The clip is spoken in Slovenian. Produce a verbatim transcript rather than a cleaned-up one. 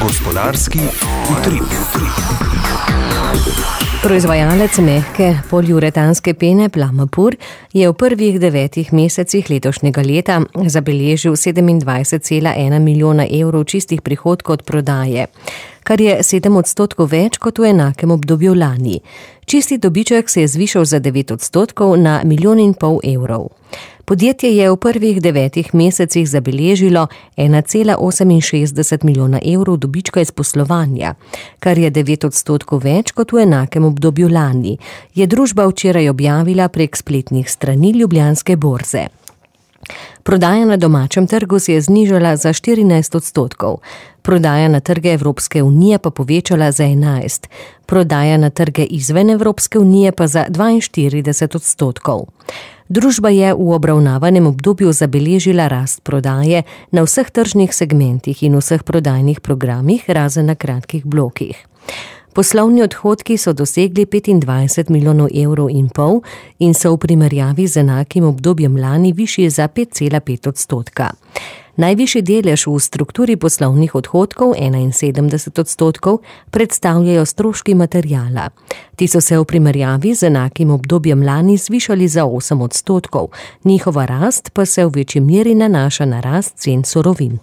Gospodarski utrip. Proizvajalec mehke poliuretanske pene Plamapur je v prvih devetih mesecih letošnjega leta zabeležil sedemindvajset cela ena milijona evrov čistih prihodkov od prodaje, kar je sedem odstotkov več kot v enakem obdobju lani. Čisti dobiček se je zvišal za devet odstotkov na milijon in pol evrov. Podjetje je v prvih devetih mesecih zabeležilo ena cela oseminšestdeset milijona evrov dobička iz poslovanja, kar je devet odstotkov več kot v enakem obdobju lani, je družba včeraj objavila prek spletnih strani Ljubljanske borze. Prodaja na domačem trgu se je znižala za štirinajst odstotkov, prodaja na trge Evropske unije pa povečala za enajst, prodaja na trge izven Evropske unije pa za dvainštirideset odstotkov. Družba je v obravnavanem obdobju zabeležila rast prodaje na vseh tržnih segmentih in vseh prodajnih programih, razen na kratkih blokih. Poslovni odhodki so dosegli petindvajset milijonov evrov in pol in so v primerjavi z enakim obdobjem lani višji za pet cela pet odstotka. Najvišji delež v strukturi poslovnih odhodkov, enainsedemdeset odstotkov, predstavljajo stroški materiala. Ti so se v primerjavi z enakim obdobjem lani zvišali za osem odstotkov, njihova rast pa se v večji meri nanaša na rast cen surovin.